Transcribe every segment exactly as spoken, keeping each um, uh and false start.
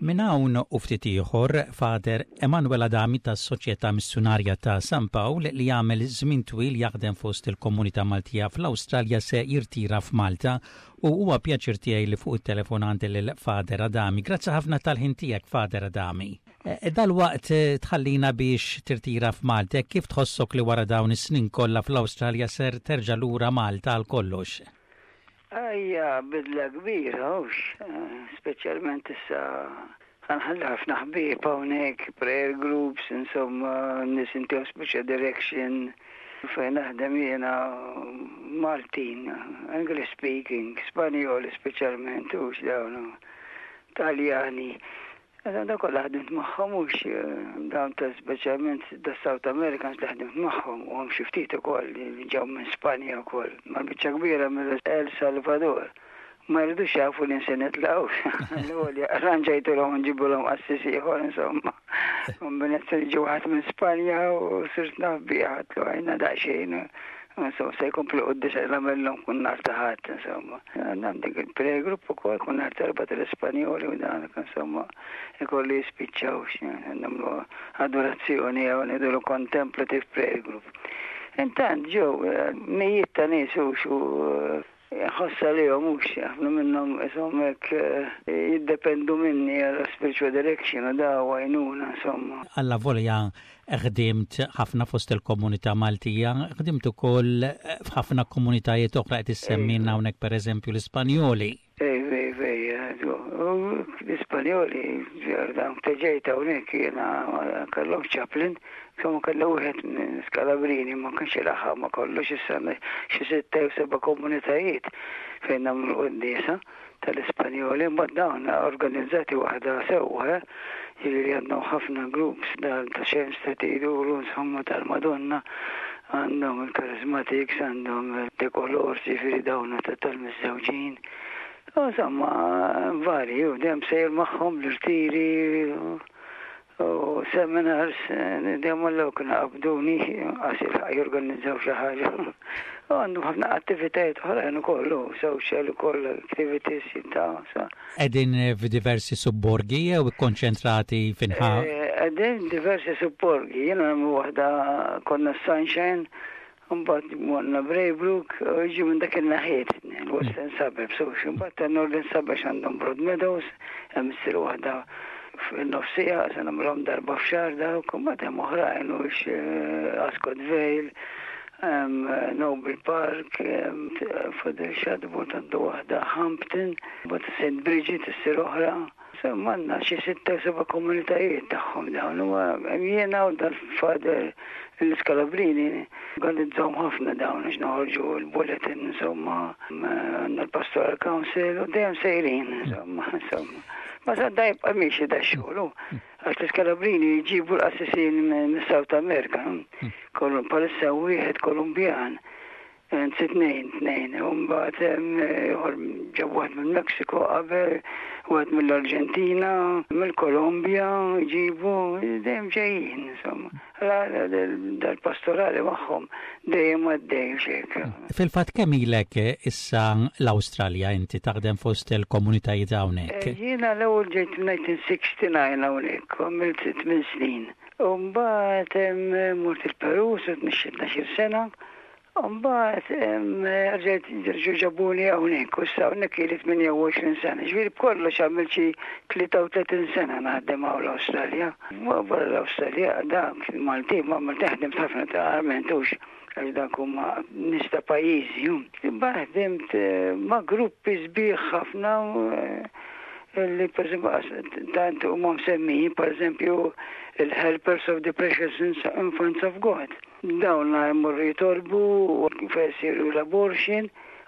Minn hawn u ftit ieħor Father Emanuel Adami tas-Soċjetà Missjunarja ta' San Pawl li jagħmel żmien twil jaħdem fost il-komunità Maltija fl-Awstralja se jirtira f'Malta u huwa pjaċir tiegħi li fuq it-telefon għandi lil Father Adami. Grazzi ħafna tal-ħin tiegħek, Father Adami. E, Dal-waqt tħallina biex tirtira f'Malta, kif tħossok li wara dawn is-snin kollha fl-Awstralja ser terġa' lura Malta għal kollox? Ejja, bidla kbira, hux, speċjalment issa ħa nħalli ħafna ħbieb hawnhekk, prayer groups, insomma, nies intihom speċa direction fejn naħdem jiena Maltin, English speaking, Spanjoli speċjalment, hux dawn, Taljani. Da kollha ħdimt magħhom hux dawn ta' speċjalment da South Americans li ħdimt magħhom u hemm xi ftit ukoll li ġew minn Spanja wkoll. Ma biċċa kbira mill El Salvador. Ma jridux jafu li se nitlaqu. L-ewwel arranġajtulhom nġibulhom qassis ieħor insomma. Kombinazzjoni ġew ħadd minn Spanja u sirt naf bih għedtlu għajna daqsxejn. Insomma, se jkompli quddiesa nagħmellhom kull nhar ta' Ħadd, insomma. Għandek il-prayer group ukoll kull nhar t'Erbgħa tal-Ispanjoli u dan, insomma, ikolli jispiċċaw nagħmlu adorazzjoni jew ngħidulu contemplative prayer group. Intant ġew mijiet ta' nies u xu ħossa li mhux ħafna minnhom insomma hekk jiddependu minni għal spiritual direction u da għajnuna insomma. Allavolja ħdimt ħafna fost il-komunità Maltija, ħdimt ukoll f'ħafna komunitajiet oħra qed issemmilna hawnhekk pereżempju l-Ispanjoli. Ej, ej, ej, l-Ispanjoli, dawn ġejt hawnhekk jiena kellhom chaplain, insomma kellu wieħed minn Scalabrini ma kienx ilaħħaq ma kollox issa xi sitta jew seba' komunitajiet fejn nagħmlu quddiesa tal-Ispanjoli, mbagħad dawn organizzati waħda sewwa, jiġifieri għandhom ħafna groups ta' xemx ta' iduru insomma tal-Madonna, għandhom il-Charismatics, għandhom il-Decolors, jiġifieri dawn tal-miżżewġin. Insomma, vari, u dejjem sejr magħhom l-irtiri u seminars, dejjem għallew kienu qabduni, għax jorganizzaw xi ħaġa. U għandhom ħafna attivitajiet oħrajn ukoll, social ukoll activities ta' sa. Qegħdin f'diversi subborgi jew konċentrati f'inħa? Qegħdin diversi subborgi, jiena hemm waħda konna Sunshine, mbagħad morna Braybrook, u jiġu minn dak il-naħiet, il-Western Suburbs, u mbagħad ta' Northern Suburbs għandhom Broadmeadows, hemm issir waħda fil-nofsija, se nagħmluhom darba f'xahar dawk, u mbagħad hemm oħrajn u Ascot Vale, Noble Park, Fadel Shadbolt għandu waħda Hampton, mbagħad St. Bridget issir oħra. Insomma, għandna xi sitta seba' komunitajiet tagħhom dawn. U jiena u dal-Father l-Scalabrini organizzawhom ħafna dawn biex noħorġu l-bulletin, insomma, għandna l-Pastoral Council u dejjem sejrin, insomma, insomma. Ma sa da jibqa' miexi da xogħol, għax l-Scalabrini jġibu l-qassisin minn South America, kollu palissa wieħed Kolumbjan. Anzi tnejn, tnejn, u mbagħad ieħor ġab wieħed minn Mexico qabel, wieħed mill-Arġentina, mill-Kolombja, ġibu, dejjem ġejjin, insomma. Dal-pastorali magħhom dejjem għaddej xejk. Fil-fatt kemm ilek issa l-Awstralja inti taħdem fost il-komunitajiet hawnhekk? Jiena l-ewwel ġejt elf disa' mija u disgħa u sittin hawnhekk, għamilt tmien snin. U mbagħad mort il-Peru, tnax-il sena. Mbagħad rġajt ġew ġabuni hawnhekk u issa hawnhekk ili tmienja u għoxrin sena. Ġifieri b'kollox għamilt xi tlieta u tletin sena naħdem hawn l-Awstralja. Barra l-Awstralja dak Malti ma Malti ħdimt ħafna ta' armentux għax dak huma nies ta' pajjiżi. Imbagħad ħdimt ma' gruppi sbieħ ħafna li per esempio tant huma msemmijin, per eżempju il-Helpers of the Precious Infants of God. Dawn jmorru jitolbu u fejn isiru l-abortion,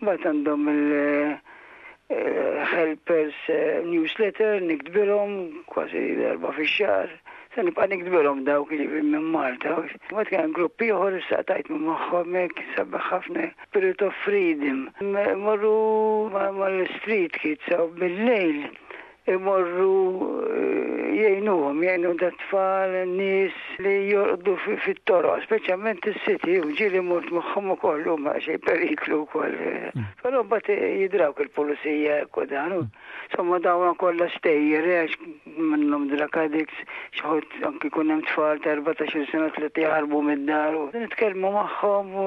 mbagħad għandhom il-Helpers newsletter niktbilhom kważi darba fix-xahar. Se nibqa' niktbilhom dawk li minn Malta. Mbagħad kien grupp ieħor issa tajt minn magħhom hekk sabaħ ħafna Spirit of Freedom. Morru mal-street kids u bil-lejl imorru jgħinuhom Jgħinuhom, jgħinu dat-tfal, nies li jorqdu fit-toroq, speċjalment is-city, u ġieli mort magħhom ukoll huma xi periklu wkoll. Mm. Però mbagħad jidrawk il-pulizija hekk u dan. Insomma, dawn kollha stejjer għax minnhom drug addicts, xi ħadd anki jkun hemm tfal ta' erbatax-il sena li jaħarbu mid-dar u nitkellmu magħhom u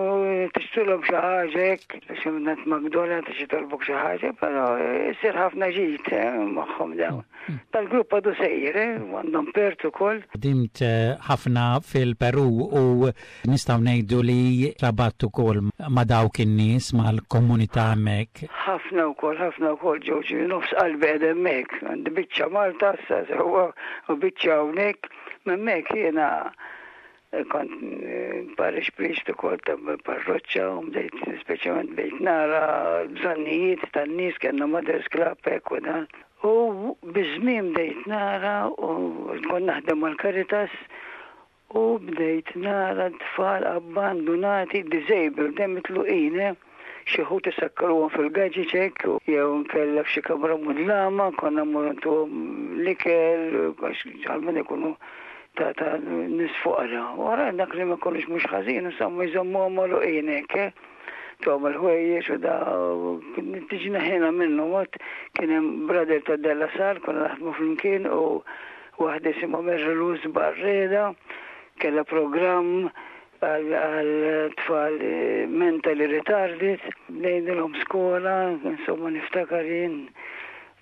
tixtrulhom xi ħaġa hekk, xi minn McDonald's xi tolbok xi ħaġa, però jsir ħafna ġid eh, magħhom dawn. Mm. Tal-grupp għadu sejjer, eh, għandhom Perth ukoll. Ħdimt eh, ħafna fil-Peru u nistgħu ngħidu li trabatt ukoll ma' dawk in-nies, mal-komunità hemmhekk. Ħafna wkoll, ħafna wkoll ġew nofs qalbi qed hemmhekk. Għandi biċċa Malta issa sewwa u biċċa hawnhekk. Hemmhekk jiena kont eh, parish priest ukoll ta' parroċċa u bdejt, speċjalment bdejt nara bżonnijiet tan-nies, kellna Mothers Club hekk u dan. U biż-żmien bdejt nara u kont naħdem mal-Caritas u bdejt nara tfal abbandonati, disabled, dem mitluqin, eh? Xi ħut isakkaruhom fil-gaġeġ hekk jew nkella f'xi kamra mudlama, konna mmorru ntuhom l-ikel għax għalmen ikunu ta' ta' nies foqra. Wara dak li ma konux mhux ħażin, insomma, jżommuhom magħluqin hekk, eh? Tuhom il-ħwejjeġ u da tiġina ħena minnu mod. Kien hemm brother ta' De La Salle, konna naħdmu flimkien, u waħda jisimha Mary Luz Barreda kellha programm għal tfal eh, mentally retarded, bnejnilhom skola, insomma, niftakar jien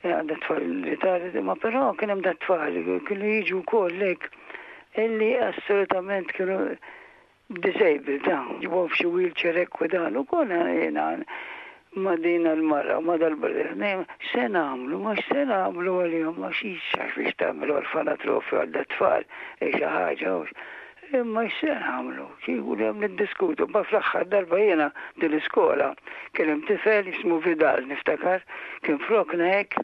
eh, għandha tfal retarded, ma però kien hemm dat-tfal kienu jiġu wkoll hekk illi assolutament kienu disabled, ta' ġibuhom f'xi wheelchair hekk u dan, u konna jiena ma' din il-mara, ma' dal-brother, se nagħmlu, ma se nagħmlu għalihom, ma xiex biex tagħmlu orfanatrofju għal dat-tfal, e xi ħaġa, imma x'se nagħmlu, kieku hemm niddiskutu, ma fl-aħħar darba jiena din l-iskola kien hemm tifel jismu Vidal, niftakar, kien frokna hekk,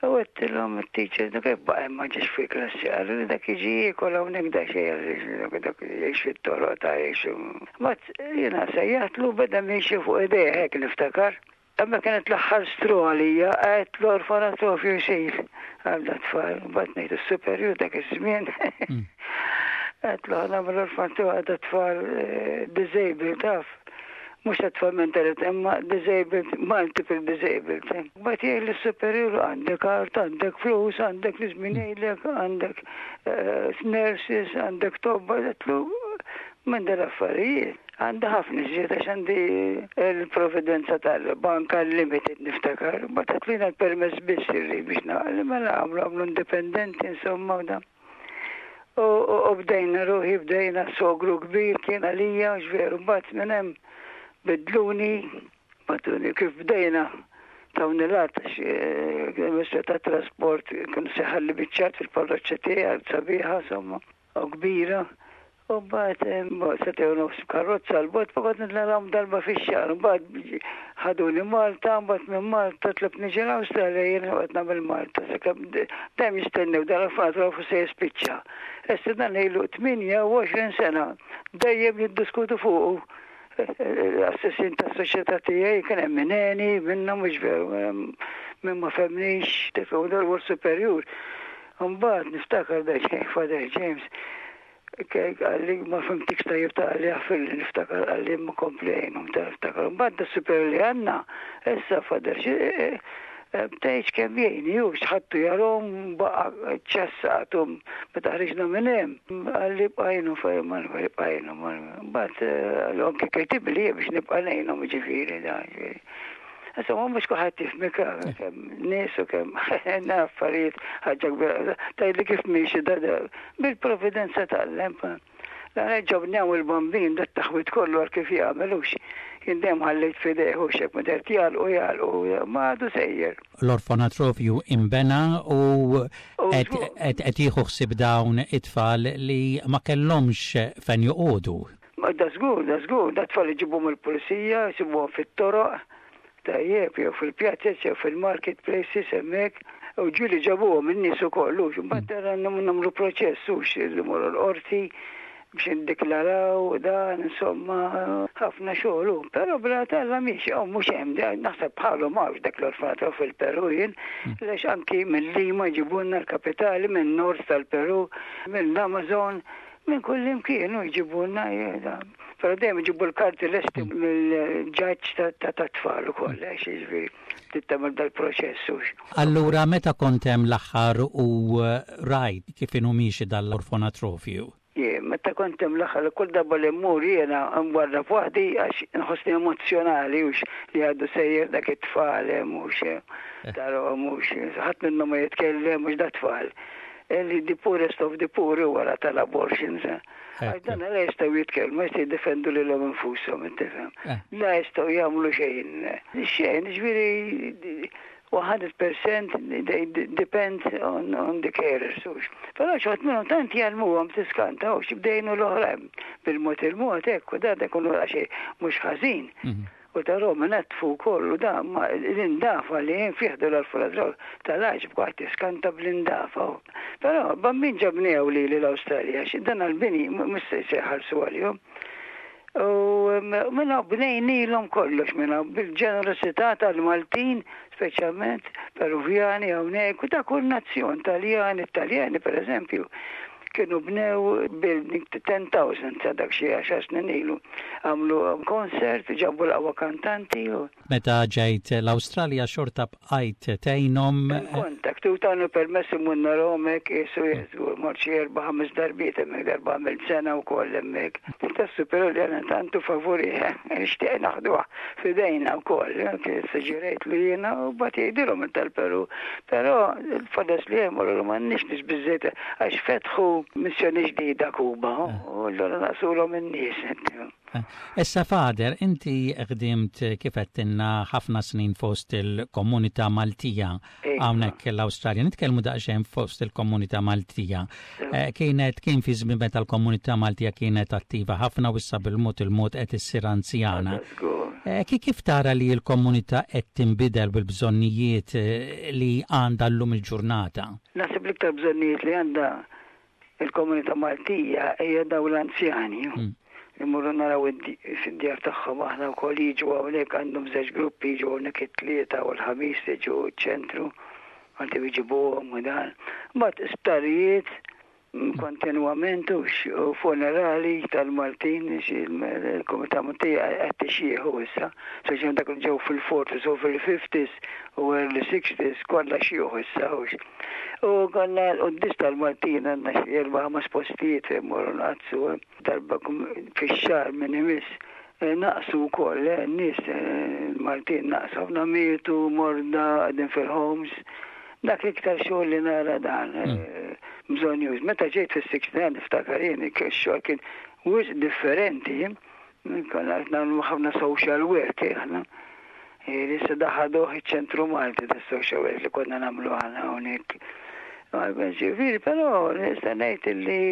u għedtilhom it-teacher, dak kif baqa' ma ġiex fi klassi, għallu li dak jiġi jiekol hawnhekk da xejn, dak jgħix fit-toroq ta' jgħix. Ma jiena sejjaħtlu, beda miexi fuq idejh hekk, niftakar. Imma kienet l-aħħar straw għalija, għedt l-orfanatrofju jsir għal dat-tfal, bat ngħid is-superjur dak iż-żmien. Għedtlu nagħmel orfanatrofju għal dat-tfal eh, disabled, taf. Mhux tfal mentally, imma disabled, multiple disabled. Bat jgħid l-superjur, għandek art, għandek flus, għandek l-żmien jgħidlek, għandek eh, nurses, għandek tobba, għedtlu minn dal-affarijiet. Għandi ħafna iżjed għax għandi il-providenza tal-banka limited, niftakar. Ma tatlina l-permess biss irrid biex naqli, mela għamlu għamlu indipendenti, insomma, u da. U u bdejna ruħi, bdejna sogru kbir kien għalija, u veru, mbagħad minn hemm bidluni, bagħtuni kif bdejna tawni l-art, għax ta' trasport kienu seħalli biċċat fil-parroċċa tiegħi sabiħa, insomma, u kbira. U mbagħad sagħtejn u nofs karozza l-bogħod, baqgħet nitlalhom darba fix-xahar. Mbagħad ħaduni Malta, mbagħad minn Malta tlabt niġi l-Awstralja, jien qed nagħmel Malta. Sakemm dejjem jistennew dal-orfanatrofu se jispiċċa. Issa dan ilu tmienja u għoxrin sena dejjem jiddiskutu fuqu. L-assessin ta' soċjetà tiegħi kien hemm mineni, minnhom mhux veru, minn ma femnix, tifhem dal-wor superjur. Mbagħad niftakar da Father James għalli ma fhimtikx tajjeb ta' għalli għafil niftakar għalli ma komplejnum ta' niftakar. Mbagħad da super li għandna, issa Father tgħidx kemm jgħini, ju xħattu jarom baqa ċassatum meta ħriġna minn hemm. Għalli bqajnu fejn bqajnu. Mbagħad għallu anke kitibli biex nibqa' ngħinhom, ġifieri da. Insomma, mhux kulħadd jifhmek, kemm nies u kemm affarijiet, ħaġa kbira. Tgħidli kif miexi da bil-providenza tal-lemp. La ġobnew il-bambin dat taħwit kollu għal kif jagħmelux. Jien dejjem ħallejt f'idejh u xek ma dert jagħlqu jagħlqu ma għadu sejjer. L-orfanatrofju imbena u qed jieħu ħsieb dawn it-tfal li ma kellhomx fejn joqogħdu. Ma da żgur, da żgur, da tfal iġibuhom il-pulizija, jsibuhom fit-toroq, tajjeb, jew fil-pjazez, jew fil-marketplaces hemmhekk. U ġieli ġabuhom in-nies ukoll, u mbagħad nagħmlu proċess u xi morru l-qorti. Biex indiklaraw dan, insomma, ħafna xogħol. Però bla talla mhix, oh, mhux hemm, naħseb bħalu m'hawnx dak l-orfanatrofju fil-Peru jien, mm. Lex anki minn Lima jġibulna l-kapitali, minn nord tal-Peru, mill-Amazon, minn kull imkien u jġibulna. Però dejjem iġibu l-karti lesti mill-ġaġġ ta' tfal ukoll, għax jiġifieri tittamel dal-proċess. Allura meta kont hemm l-aħħar u rajt kif inhu miexi dal-orfanatrofju? Meta kont hemm l-aħħar, kull darba li mmur jiena nwarrab waħdi għax nħossni emozjonali ux li għadu sejjer dak it-tfal hemm hux eh. Tarahom hux ħadd minnhom ma jitkellem mhux da tfal. Li the poorest of the poor wara tal-abortions. Eh. Għax dan la jistgħu jitkellmu, jistgħu jiddefendu lilhom infushom, tifhem. Eh. La jistgħu jagħmlu xejn. Xejn, ġifieri one hundred percent they depend on, on the carers. Però xi wħud minnhom tant jgħallmuhom tiskanta u xibdejnu l-oħrajn bil-mod il-mod hekk u dan ikunu xejn mhux ħażin. Mhm. U tarahom natfu kollu da ma l-indafa li jem fih l-orfanatrofju tal-għaġeb kwaħt tiskanta bl-indafa. Però bambin ġabnew li l-Awstralja, dan għal-bini mhux se jħallsu għalihom. U minna bnejnilhom kollox minna bil-ġenerosità tal-Maltin, speċjalment Peruvjani hawnhekk, u ta' kull nazzjon, Taljani, Italjani per eżempju, kienu bnew building ten thousand sa dak xi għaxar snin ilu. Għamlu concert, ġabu l-aqwa kantanti. Meta ġejt l-Awstralja xorta bqajt tgħinhom? Contact, u tawni permess immur narahom hekk, jesu jesu, mort xi erba' ħames darbiet hemmhekk, darba għamilt sena wkoll hemmhekk. Tassu però li għana tantu favuri, nixtieq naħduha f'idejna wkoll, suġġerejt li jiena u bat jgħidilhom tal-Peru. Però il-flus li hemm u m'għandniex nies biżżejjed għax fetħu missjoni ġdida Kuba u allura naqsulhom in-nies. Issa, Father, inti ħdimt kif għedtilna ħafna snin fost il-komunità Maltija iva. Hawnhekk l-Awstralja. Nitkellmu daqsxejn fost il-komunità Maltija. Eh, kienet kien fi żmien meta l-komunità Maltija kienet attiva ħafna u issa bil-mod il-mod qed issir anzjana. Eh, kif tara li l-komunità qed tinbidel bil-bżonnijiet eh, li għandha llum il-ġurnata? Naħseb l-iktar bżonnijiet li għandha il-komunità Maltija hija daw l-anzjani. Mm. Immorru naraw fid-djar tagħhom aħna wkoll, jiġu hawnhekk, għandhom żewġ gruppi jiġu hawnhekk, it-Tlieta u l-Ħamis jiġu ċ-ċentru għanti jġibuhom u dan. Mbagħad isptarijiet kontinwament u funerali tal-Maltin, il-komunità Maltija qed tixjieħu issa. Speċjalment dak li ġew fil-forties u fil-fifties u early sixties kollha xjieħu issa. U konna l-quddies tal-Maltin, għandna xi erba' ħames postijiet fejn morru nqaddsu darba fix-xahar minn imiss. Eh, naqsu wkoll, eh, n-nies eh, Maltin naqsu, ħafna mietu, morda, qegħdin fil-homes. Dak iktar xogħol li nara dan. Mm. Bżonn Meta ġejt fis-sixty-nine niftakar jien ix-xogħol kien wisq differenti. Konna qed nagħmlu ħafna social work aħna. Issa daħaduh iċ-ċentru Malti tas social work li konna nagħmlu aħna hawnhekk. Ġifieri, però nista' ngħid li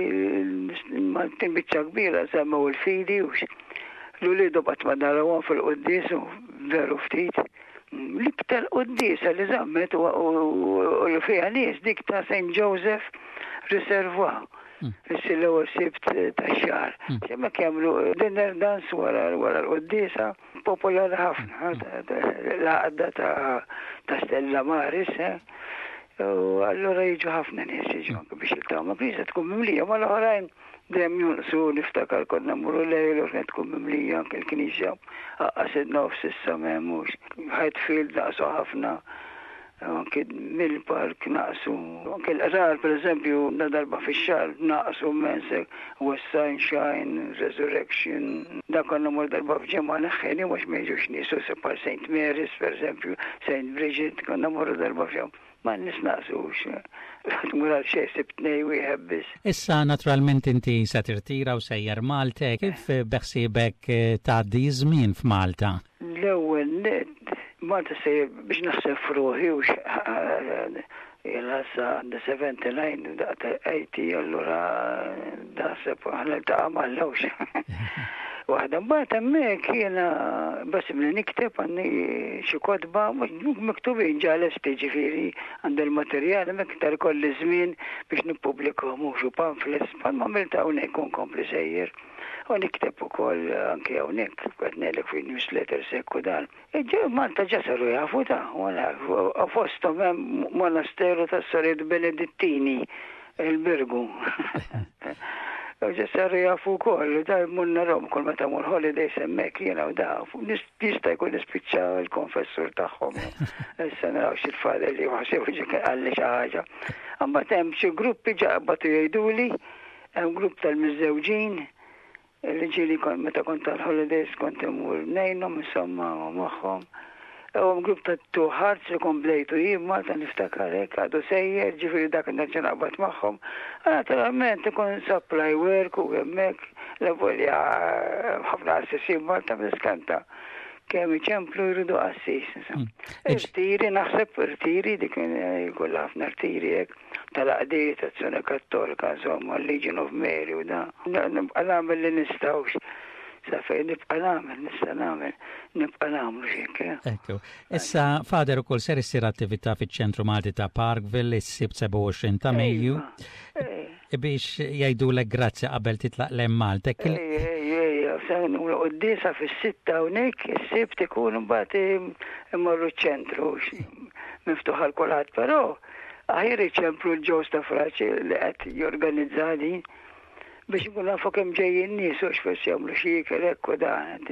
l-Maltin biċċa kbira semmew il-fidi u l-uliedu qatt ma narawhom fil-quddies veru ftit. L-iktar quddiesa li żammet u li fiha nies dik ta' Saint Joseph Reservoir. Hmm. Issi l-ewwel Sibt tax-xahar. Hmm. Hemmhekk jagħmlu dinner dance wara wara l-quddiesa, popolari ħafna, hmm. l-għaqda ta' Stella Maris. Eh. U allura jiġu ħafna nies, jiġu anke biex jiltaqgħu ma' knisja tkun mimlija, ma l-oħrajn dejjem jonqsu. Niftakar konna mmorru lejl u kienet tkun mimlija anke l-knisja. Aqqas in-nofs issa m'hemmux. Highfield naqsu ħafna, anke mill-park naqsu. Anke l-qrar, per eżempju, na darba fix-xahar naqsu mensek, West Sunshine, Resurrection, da konna mor darba f'ġimgħa neħħeni mhux ma jiġux nies, u par Saint Mary's, per eżempju, Saint Bridget, konna morru darba f'ġimgħa. Ma nisnaqsux. Tmur għal xejn Sibt tnejn wieħed biss. Issa naturalment inti se tirtira u sejjer Malta, kif beħsiebek tgħaddi żmien f'Malta? L-ewwel net Malta sejjer biex naħseb f'ruħi u jena sa għandi sebgħa u sebgħin daqta eighty, allura naħseb aħna ltaqa' mal-lewx. Waħda mbagħad hemmhekk jiena basibli nikteb, għandi xi kotba miktubin ġa lesti, ġifieri għandi l-materjal hemmhekk tar kolli żmien biex nippubblikhom, mhux pamphlets bħalma għamilt hawnhekk u nkompli sejjer. U nikteb ukoll anke hawnhekk, qed ngħidlek, fi newsletters hekk u dan. Malta ġa saru jafu ta' u fosthom hemm monasteru tas-Sorijiet Benedittini, il-Birgu. U ġa saru jafu wkoll, da mmur narahom kull meta mmur holidays hemmhekk jiena u da, jista' jkun nispiċċa il-konfessur tagħhom. Issa naraw xi l-father li ħasib qalli xi ħaġa. Imbagħad hemm xi gruppi ġa bagħtu jgħiduli, hemm grupp tal-miżżewġin, li ġieli meta kont tal-holidays kont immur ngħinhom insomma u magħhom. U grupp ta' Two Hearts li kont bdejtu jien Malta, niftakar hekk, għadu sejjer, ġifieri dak nerġa' naqbad magħhom. Naturalment ikun supply work u hemmhekk l-volja ħafna qassisin Malta, niskanta kemm iċemplu jridu qassis. Irtiri, naħseb irtiri, dik jkollha ħafna irtiri hekk tal-għaqdiet, Azzjoni Kattolika, insomma, Legion of Mary u da. Nibqa' nagħmel li nistgħux. Sa fejn nibqa' nagħmel, nista' nagħmel, nibqa' nagħmlu xejn. Ekku. Issa, Father, ukoll ser issir attività fiċ-Ċentru Malti ta' Parkville is-Sibt sebgħa u għoxrin ta' Mejju biex jgħidulek grazzi qabel titlaq 'l Malta. Quddiesa fis-sitta hawnhekk, is-Sibt ikun, mbagħad immorru ċ-ċentru, miftuħ għal kulħadd, però aħjar iċemplu lil Joe Stafrace li qed jorganizza din biex ikun nafu kemm ġejjin nies u x'forsi jagħmlu xi ikel hekk u dan.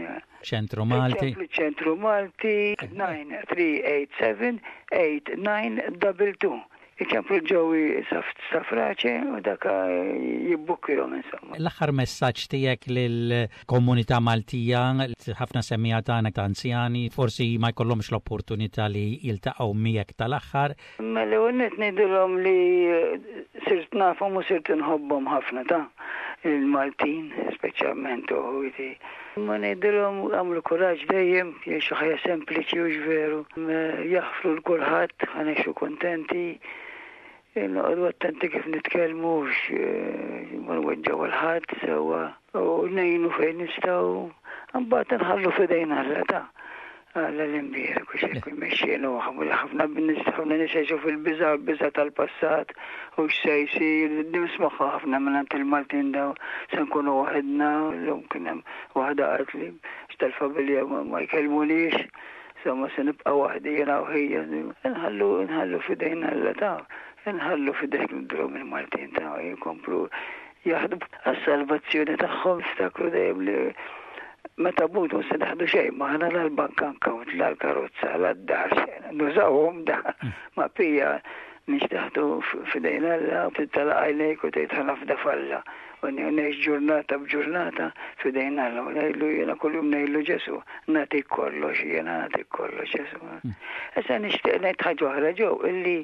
Ċentru Malti. Ċentru Malti tnejn tlieta sebgħa sebgħa tnejn tnejn tnejn. Iċemplu Joey Stafrace u daka jibbukkjahom insomma. L-aħħar messaġġ tiegħek lill-komunità Maltija, ħafna semmiegħa tagħna ta' anzjani, forsi ma jkollhomx l-opportunità li jiltaqgħu miegħek tal-aħħar. Mela għonet ngħidilhom li sirt nafhom u sirt nħobbhom ħafna ta' il-Maltin, speċjalment u ħuti. Ma ngħidilhom għamlu kuraġġ dejjem, jgħixu ħajja sempliċi u veru, jaħfru 'l kulħadd, ħa ngħixu kontenti, noqogħdu attenti kif nitkellmu, ma nweġġgħu 'l ħadd sewwa u ngħinu fejn nistgħu, mbagħad nħallu f'idejn Alla ta' Alla l-imbierek u xejn jmexxina. U ħafna ħafna nies jgħixu fil-biża', biża' tal-passat u x'se jsir, nismagħha ħafna minn il-Maltin daw, se nkunu waħedna. Llum kien hemm waħda qaltli tal-familja ma jkellmunix, insomma se nibqa' waħdi jiena u ħija. Nħallu nħallu f'idejn Alla ta', nħallu f'idejn drom il-Maltin ta' jkomplu jaħdmu għas-salvazzjoni tagħhom, ftakru dejjem li meta mmutu se nieħdu xejn magħna, la l-bank account, la l-karozza, la d-dar, xejn. Nużawhom da ma pija nixtaħtu f'idejn Alla, tagħlaq għajnejk u tgħid ħa nafda f'Alla. U ngħix ġurnata b'ġurnata f'idejn Alla. U ngħidlu jiena kuljum, ngħidlu: "Ġesu, nagħtik kollox, jiena nagħtik kollox, Ġesu." Issa nixtieq ngħid ħaġa oħra ġew illi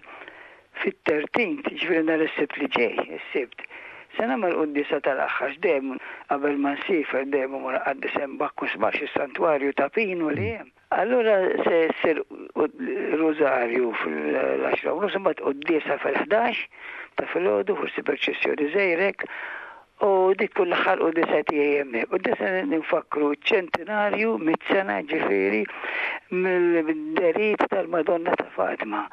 fit-tlettax, ġifieri nhar is-Sibt li ġej, is-Sibt, se nagħmel quddiesa tal-aħħar. Dejjem qabel ma nsiefer dejjem imur qaddis hemm Bakkus Max, is-santwarju ta' Pinu li hemm. Allura se ssir rużarju fil-għaxra u nofs, imbagħad quddiesa fil-ħdax ta' filgħodu, forsi perċessjoni żgħira, u dik kull l-aħħar quddiesa tiegħi hemmhekk. Quddiesa nfakru ċentinarju, mitt sena ġifieri mill-dehriet tal-Madonna ta' Fatima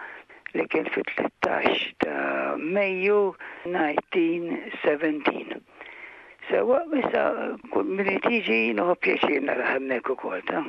li kien fit-tlettax ta' Mejju elf disa' mija u sbatax. Sewwa, issa min tiġi nieħu pjaċir nara hemmhekk ukoll ta'